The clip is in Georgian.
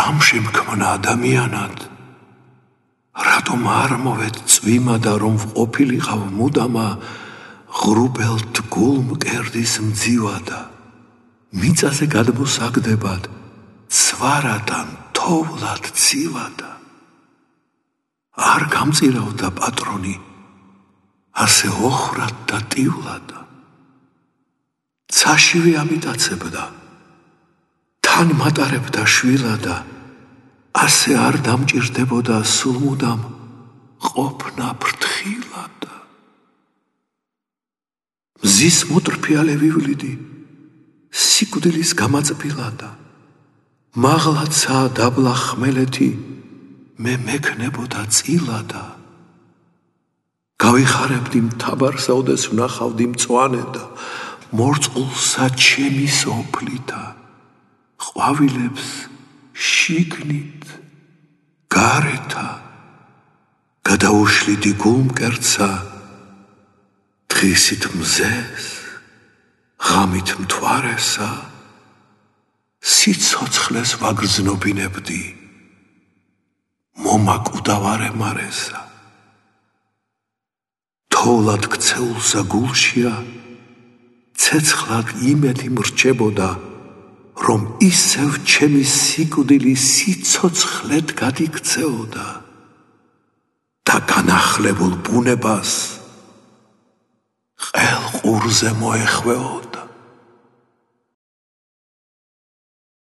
რამ შემქმნა ადამიანად? რატომ არ მოვედ წვიმა და რომ ვყოფილიყავ მუდამა ღრუბელ დგულ მკერდის მძივადა, მიწაზე გადმოსაგდებად ცვარადან თოვლად ცივადა. არ გამწირავდა პატრონი, ასე ოხრად და ტივლადა. ცაშივე ამიტაცებდა, თან მატარებდა შვილადა, ასე არ დამჭირდებოდა სულ მუდამ ყოფნა ფრთხილადა. მზის მოტრფიალე ვივლიდი, სიკვდილის გამაწბილადა, მაღლაცა დაბლა ხმელეთი, მე მექნებოდა წილადა. გავიხარებდი მთაბარსა, ოდეს ვნახავდი მწვანე და მორწყულსა ჩემი სოფლითა, ყვავილებს შიგნით გარეთა, გადაუშლიდი გულმკერდსა, დღისით მზეს, ღამით მთვარესა, სიცოცხლეს ვაგრძნობინებდი, მომაკვდავარე მარესა. თოვლად ქცეულსა გულშია, ცეცხლად იმედი მრჩებოდა, რომ ისევ ჩემი სიკვდილი სიცოცხლედ გადიქცეოდა და განახლებულ ბუნებას ყელყურზე მოეხვეოდა.